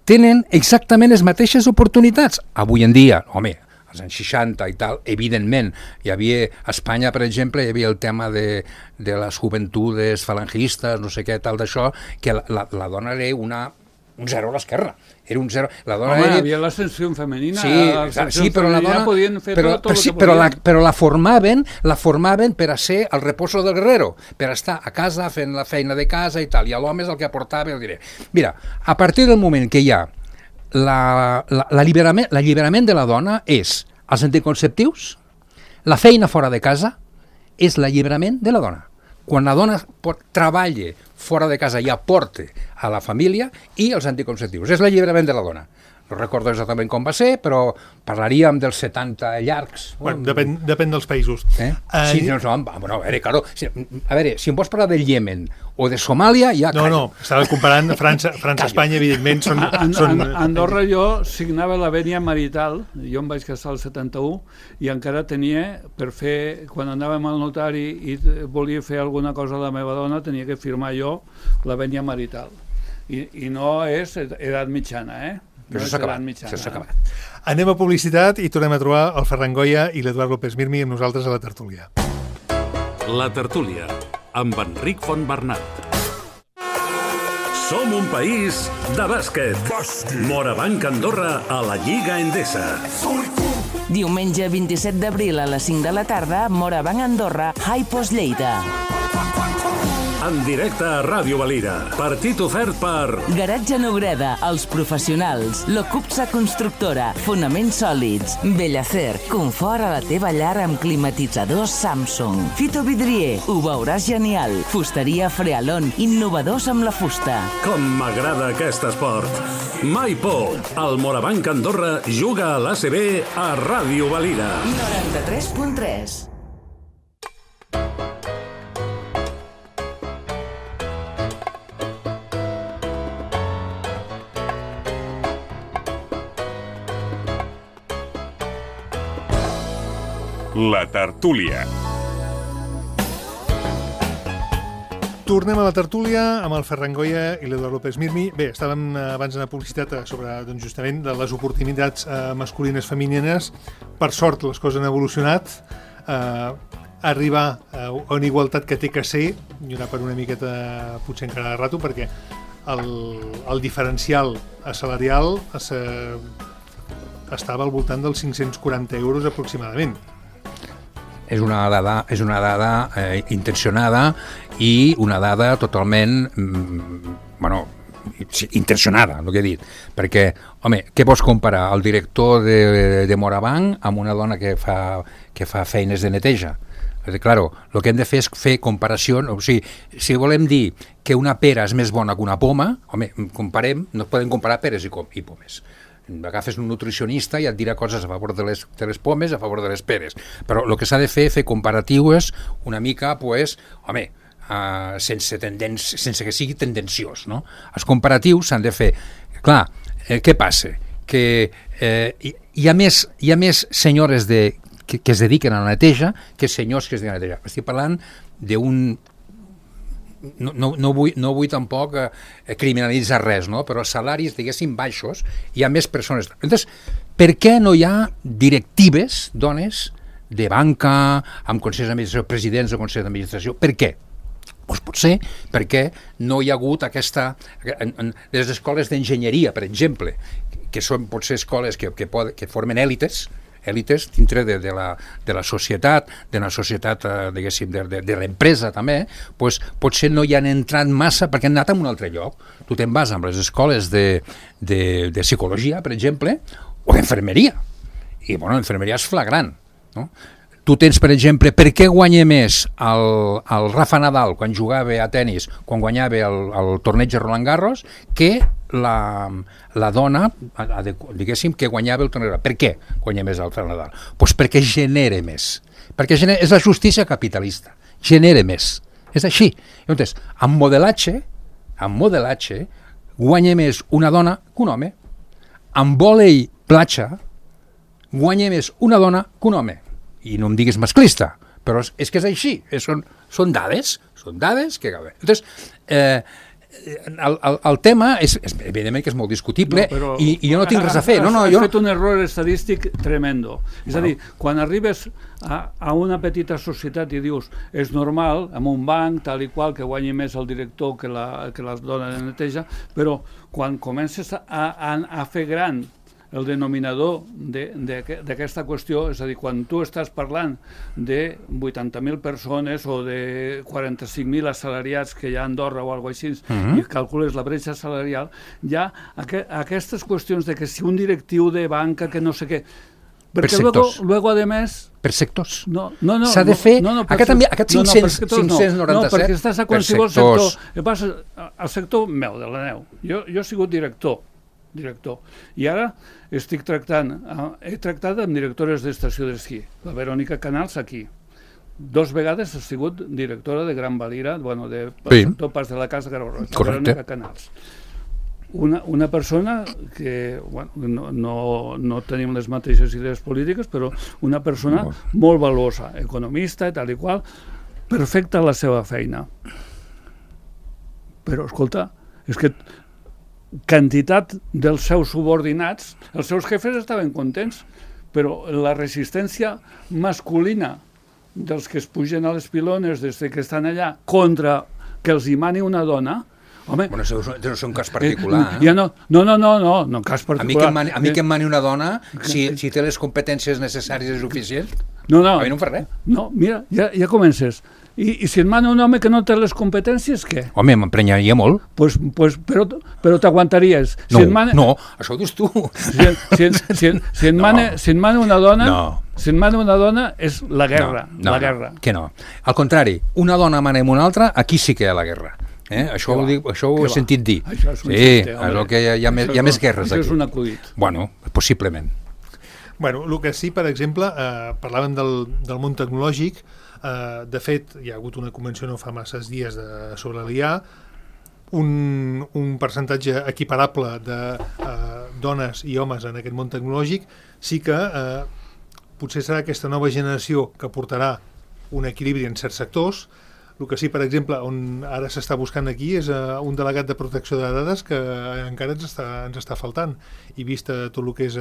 tenen exactament les mateixes oportunitats. Avui en dia, home, als anys 60 i tal, evidentment, hi havia, a Espanya, per exemple, hi havia el tema de les joventudes falangistes, no sé què, tal d'això, que la dona era un zero a l'esquerra. Era un zero. La dona home, hi havia l'ascensió femenina. Sí, però la dona podien fer tot el que podien. Però la formaven per a ser el reposo del guerrero, per estar a casa fent la feina de casa i tal, i l'home és el que aportava el diré. Mira, a partir del moment que hi ha l'alliberament de la dona és els anticonceptius, la feina fora de casa, és l'alliberament de la dona. quan la dona treballa fora de casa i aporta a la família, i els anticonceptius. És l'alliberament de la dona. No recordo exactament com va ser, però parlaríem dels 70 llargs. Bueno, depèn dels països. Sí, no, bueno, a veure, claro, a veure, si em vols parlar del Iemen o de Somàlia, ja... No, estava comparant França, Espanya, evidentment, són... Andorra jo signava la vènia marital, jo em vaig casar al 71, i encara tenia, per fer, quan anàvem al notari i volia fer alguna cosa a la meva dona, tenia que firmar jo la vènia marital. I no és edat mitjana, Però s'ha acabat. Anem a publicitat i tornem a trobar el Ferran Goya i l'Eduard López Mirmi amb nosaltres a la tertúlia. La tertúlia, amb Enric Fontbernat. Som un país de bàsquet. Morabanc Andorra a la Lliga Endesa. Diumenge 27 d'abril a les 5 de la tarda, Morabanc Andorra, Hi-Post Lleida. En directe a Ràdio Valira. Partit ofert per... Garatge Nobreda, Els Professionals, Locupsa Constructora, Fonaments Sòlids, Bellacer, confort a la teva llar amb climatitzadors Samsung. Fito Vidrier, ho veuràs genial. Fusteria Frealon, innovadors amb la fusta. Com m'agrada aquest esport. Mai por. El Morabanc Andorra juga a l'ACB a Ràdio Valira. 93.3. La tertúlia. Tornem a la tertúlia amb el Ferran Goya i l'Eduard López Mirmi. Bé, estàvem abans en la publicitat sobre doncs, justament de les oportunitats masculines femenines. Per sort les coses han evolucionat. Arribar a una igualtat que té que ser, i anar per una miqueta potser encara de rato, perquè el diferencial salarial estava al voltant dels 540 euros aproximadament. És una dada intencionada i una dada totalment, intencionada, el que he dit. Perquè, home, què vols comparar? El director de Morabanc amb una dona que fa feines de neteja? Claro, el que hem de fer és fer comparació, o sigui, si volem dir que una pera és més bona que una poma, home, comparem, no podem comparar peres i pomes. Agafes un nutricionista i et dirà coses a favor de les pomes, a favor de les peres, però el que s'ha de fer comparatives una mica, pues, home, sense que sigui tendenciós, no? Els comparatius s'han de fer. Clar, què passa? Que hi ha més senyores que es dediquen a la neteja que senyors que es dediquen a la neteja. Estic parlant d'un... No vull tampoc criminalitzar res, no? Però els salaris, diguéssim, baixos, hi ha més persones. Llavors, per què no hi ha directives, dones, de banca, amb consells d'administració, presidents de consells d'administració? Per què? Doncs potser perquè no hi ha hagut aquesta... Les escoles d'enginyeria, per exemple, que són potser escoles que formen èlites dintre de la societat, diguéssim, de l'empresa també, doncs potser no hi han entrat massa perquè han anat a un altre lloc. Tu te'n vas amb les escoles de psicologia, per exemple, o d'infermeria. I, bueno, l'infermeria és flagrant, no? Tu tens, per exemple, per què guanya més el Rafa Nadal quan jugava a tennis, quan guanyava el torneig de Roland Garros, que la dona, diguéssim, que guanyava el torneig. Per què guanya més el Rafa Nadal? Doncs perquè genera més. Perquè és la justícia capitalista. Genera més. És així. Llavors, amb modelatge, guanya més una dona que un home. Amb vòlei platja, guanya més una dona que un home. I no em diguis masclista, però és que és així, són dades que... Llavors, el tema és evidentment que és molt discutible, i jo no tinc res a fer. Has fet un error estadístic tremendo. És a dir, quan arribes a una petita societat i dius és normal, en un banc, tal i qual, que guanyi més el director que la dona de neteja, però quan comences a fer gran el denominador d'aquesta qüestió, és a dir, quan tu estàs parlant de 80.000 persones o de 45.000 assalariats que hi ha a Andorra o alguna cosa així, i calcules la bretxa salarial, hi ha aquestes qüestions de que si un directiu de banca que no sé què, Porque sectors. luego además... Per sectors. No. S'ha de fer... Aquest 597... No, perquè estàs a qualsevol sector. El sector meu, de la neu. Jo he sigut director. I ara he tractat amb directores d'estació d'esquí. La Verònica Canals aquí. 2 vegades ha sigut directora de Gran Valira, del sector Pas de la Casa Garó-Roig. Verònica Canals. Una persona que no tenim les mateixes idees polítiques, però una persona molt valuosa, economista i tal i qual, perfecta a la seva feina. Però, escolta, és que quantitat dels seus subordinats, els seus jefes estaven contents, però la resistència masculina dels que es pugen a les pilones des que estan allà contra que els hi mani una dona. Home, bueno, això no és un cas particular. Ja no, cas particular. A mi que em mani una dona, si té les competències necessàries i suficients, a mi no em fa res. No, mira, ja comences. I si et mana un home que no té les competències, què? Home, m'emprenyaria molt. Però t'aguantaries. No, això ho dius tu. Si et mana una dona... Si et mana una dona és la guerra. La guerra. Que no. Al contrari, una dona mana amb una altra, aquí sí que hi ha la guerra. Això ho he sentit dir. Sí, és el que hi ha més guerres aquí. Això és un acudit. Bueno, possiblement. Bueno, el que sí, per exemple, parlàvem del món tecnològic. De fet, hi ha hagut una convenció no fa masses dies sobre l'IA, un percentatge equiparable de dones i homes en aquest món tecnològic. Sí que potser serà aquesta nova generació que portarà un equilibri en certs sectors. El que sí, per exemple, on ara s'està buscant aquí és un delegat de protecció de dades que encara ens està faltant. I vist tot el que és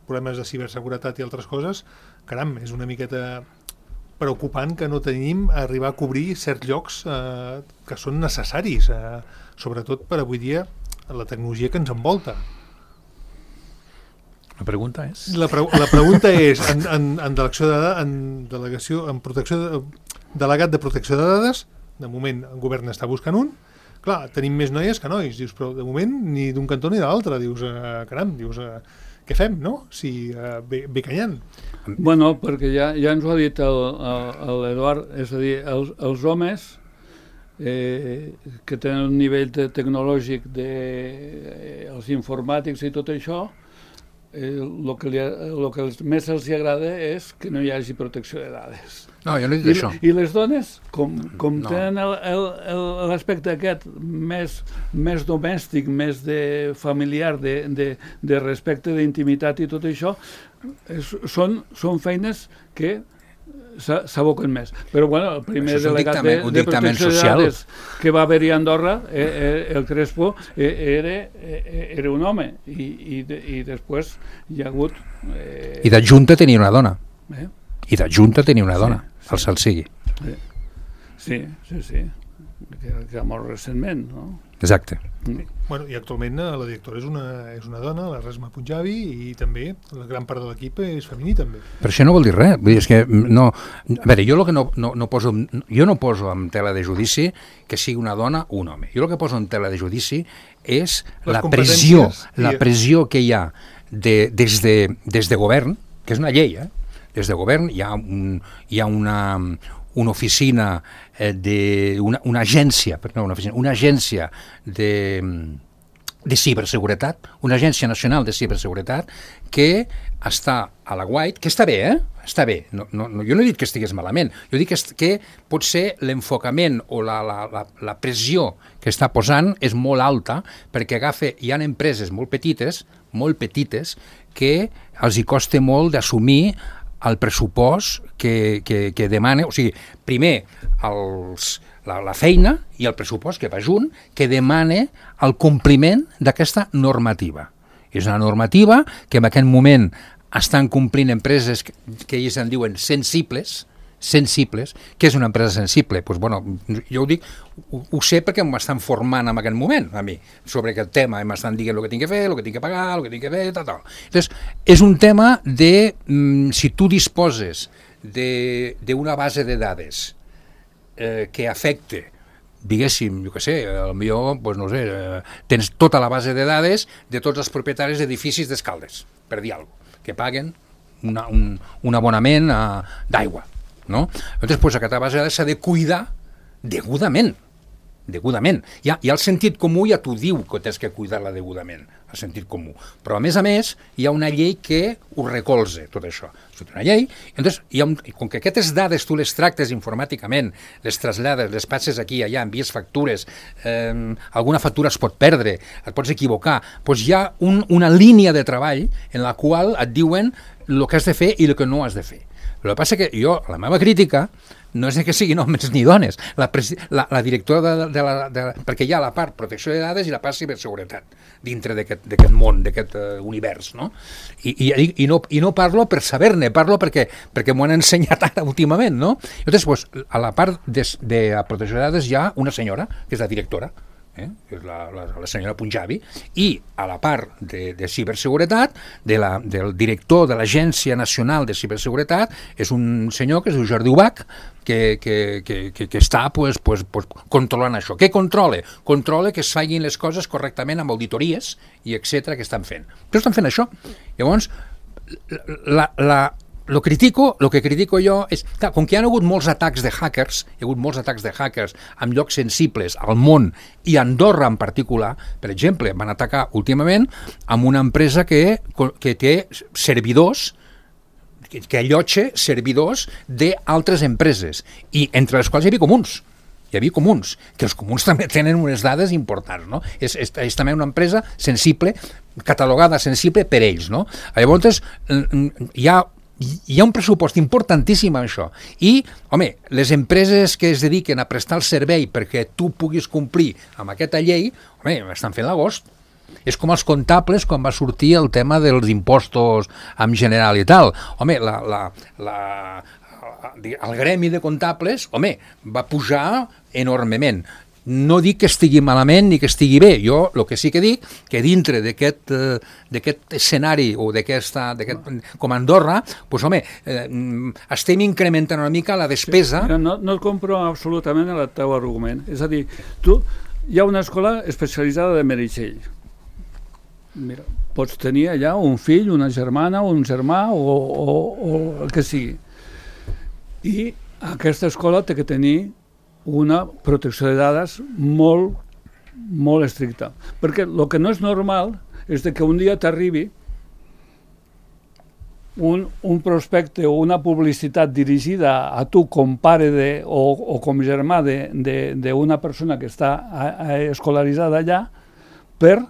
problemes de ciberseguretat i altres coses, caram, és una miqueta preocupant que no tenim arribar a cobrir certs llocs que són necessaris, sobretot per avui dia la tecnologia que ens envolta. La pregunta és? La pregunta és, en delegació de dades, delegat de protecció de dades, de moment el govern està buscant un, clar, tenim més noies que nois, dius, però de moment ni d'un cantó ni de l'altre, dius, caram, dius, què fem, no? Si ve canyant. Bueno, perquè ja ens ho ha dit l'Eduard, és a dir, els homes que tenen un nivell tecnològic dels informàtics i tot això, el que més els agrada és que no hi hagi protecció de dades. No, jo no he dit això. I les dones, com tenen l'aspecte aquest més domèstic, més familiar, de respecte, d'intimitat i tot això, són feines que s'aboquen més. Però bueno, el primer delegat de protecció de dades que va haver-hi a Andorra, el Crespo, era un home i després hi ha hagut... I d'adjunta tenia una dona. I d'adjunta tenia una dona, el Salsigui. Sí, que ha mort recentment, no? Exacte. Bueno, i actualment la directora és una dona, la Resma Punjabi, i també la gran part de l'equip és femení també. Però això no vol dir res, vull dir, és que no... A veure, jo el que no poso... Jo no poso en tela de judici que sigui una dona o un home. Jo el que poso en tela de judici és la pressió que hi ha des de govern, que és una llei, des de govern hi ha una oficina una agència de ciberseguretat, una agència nacional de ciberseguretat que està a l'aguait, que està bé, està bé, jo no he dit que estigués malament, jo dic que potser l'enfocament o la pressió que està posant és molt alta perquè hi ha empreses molt petites que els hi costa molt d'assumir el pressupost que demana, o sigui, primer la feina i el pressupost que va junt, que demana el compliment d'aquesta normativa. És una normativa que en aquest moment estan complint empreses que ells en diuen sensibles, que és una empresa sensible? Pues bueno, jo ho dic, ho sé perquè m'estan formant en aquest moment, a mi, sobre aquest tema, m'estan dient el que tinc que fer, el que tinc que pagar, el que tinc que fer, tal. Entonces, és un tema de, si tu disposes d'una base de dades que afecte, diguéssim, jo què sé, potser, pues no sé, tens tota la base de dades de tots els propietaris d'edificis d'Escaldes, per dir alguna cosa, que paguen un abonament d'aigua, no? Llavors, pues, aquesta base s'ha de cuidar degudament. Ja el sentit comú ja t'ho diu que tens que cuidar-la degudament, el sentit comú. Però, a més, hi ha una llei que ho recolza, tot això. És una llei, llavors, com que aquestes dades tu les tractes informàticament, les trasllades, les passes aquí i allà, envies factures, alguna factura es pot perdre, et pots equivocar, doncs hi ha una línia de treball en la qual et diuen el que has de fer i el que no has de fer. Però el que passa que jo, la meva crítica, no és que siguin homes ni dones. La directora perquè hi ha la part protecció de dades i la part ciberseguretat dintre d'aquest món, d'aquest univers, no? I no parlo per saber-ne, parlo perquè m'ho han ensenyat ara últimament, no? Llavors, pues, a la part de la protecció de dades hi ha una senyora, que és la directora, és la senyora Punjabi, i a la part de ciberseguretat, del director de l'Agència Nacional de Ciberseguretat, és un senyor que es diu Jordi Ubach, que està controlant això. Què controla? Controla que es facin les coses correctament amb auditories i etcètera que estan fent. Però estan fent això. Llavors, el que critico jo és, clar, com que hi ha hagut molts atacs de hackers, en llocs sensibles al món i a Andorra en particular, per exemple, van atacar últimament amb una empresa que té servidors, que allotja servidors d'altres empreses, i entre les quals hi havia comuns, que els comuns també tenen unes dades importants, no? És també una empresa sensible, catalogada sensible per ells, no? Llavors, hi ha un pressupost importantíssim en això, i, home, les empreses que es dediquen a prestar el servei perquè tu puguis complir amb aquesta llei, home, estan fent l'agost. És com els comptables quan va sortir el tema dels impostos en general i tal. Home, el gremi de comptables, home, va pujar enormement. No dic que estigui malament ni que estigui bé. Jo el que sí que dic, que dintre d'aquest escenari o com a Andorra, doncs, home, estem incrementant una mica la despesa. Sí, no et compro absolutament el teu argument. És a dir, hi ha una escola especialitzada de Meritxell. Mira, pots tenir allà un fill, una germana, un germà o el que sigui. I aquesta escola té que tenir una protecció de dades molt, molt estricta. Perquè el que no és normal és que un dia t'arribi un prospecte o una publicitat dirigida a tu com pare o com germà d'una persona que està escolaritzada allà per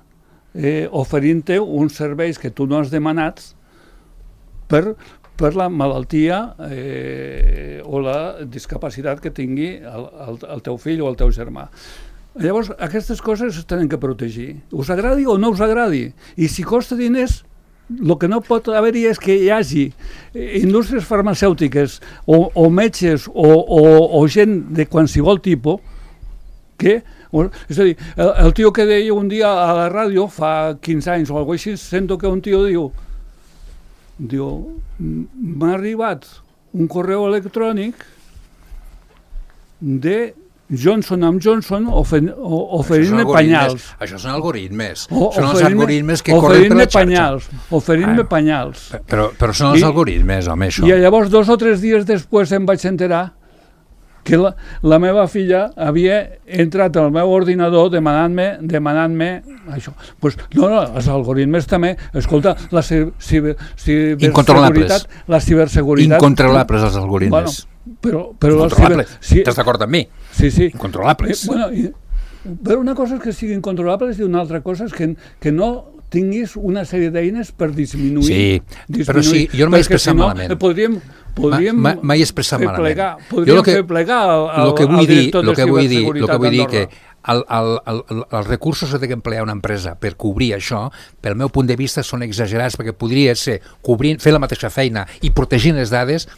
oferint-te uns serveis que tu no has demanat per la malaltia o la discapacitat que tingui el teu fill o el teu germà. Llavors, aquestes coses es tenen que protegir. Us agradi o no us agradi. I si costa diners, el que no pot haver-hi és que hi hagi indústries farmacèutiques o metges o gent de qualsevol tipus que... És a dir, el tio que deia un dia a la ràdio, fa 15 anys o alguna cosa així, sento que un tio diu m'ha arribat un correu electrònic de Johnson & Johnson oferint-me penyals. Això són algoritmes. Són els algoritmes que corren per la xarxa. Oferint-me penyals. Però són els algoritmes, home, això. I llavors 2 o 3 dies després em vaig enterar que la meva filla havia entrat al meu ordinador demanant-me això. Pues, no, els algoritmes també, escolta, la ciberseguretat... Incontrolables els algoritmes. Però incontrolables. Estàs d'acord amb mi? Sí. Incontrolables. Però una cosa és que siguin controlables i una altra cosa és que no tinguis una sèrie d'eines per disminuir. Sí, però sí, jo no m'he expressat malament. M'he expressat malament. Podríem fer plegar al director de ciberseguretat d'Andorra. Que els recursos que té que emplear una empresa per cobrir això, pel meu punt de vista, són exagerats, perquè podria ser fer la mateixa feina i protegint les dades,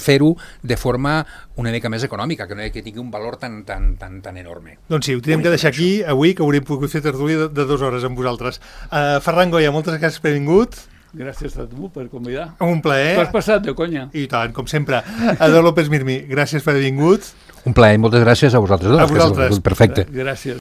fer-ho de forma una mica més econòmica, que no que tingui un valor tan enorme. Doncs sí, ho tenim que deixar aquí avui, que hauríem pogut fer tertúlia de 2 hores amb vosaltres. Ferran Goya, moltes gràcies per haver vingut. Gràcies a tu per convidar. Un plaer. T'ho has passat de conya. I tant, com sempre. Ador López Mirmi, gràcies per haver vingut. Un plaer, moltes gràcies a vosaltres. A vosaltres. Perfecte. Gràcies.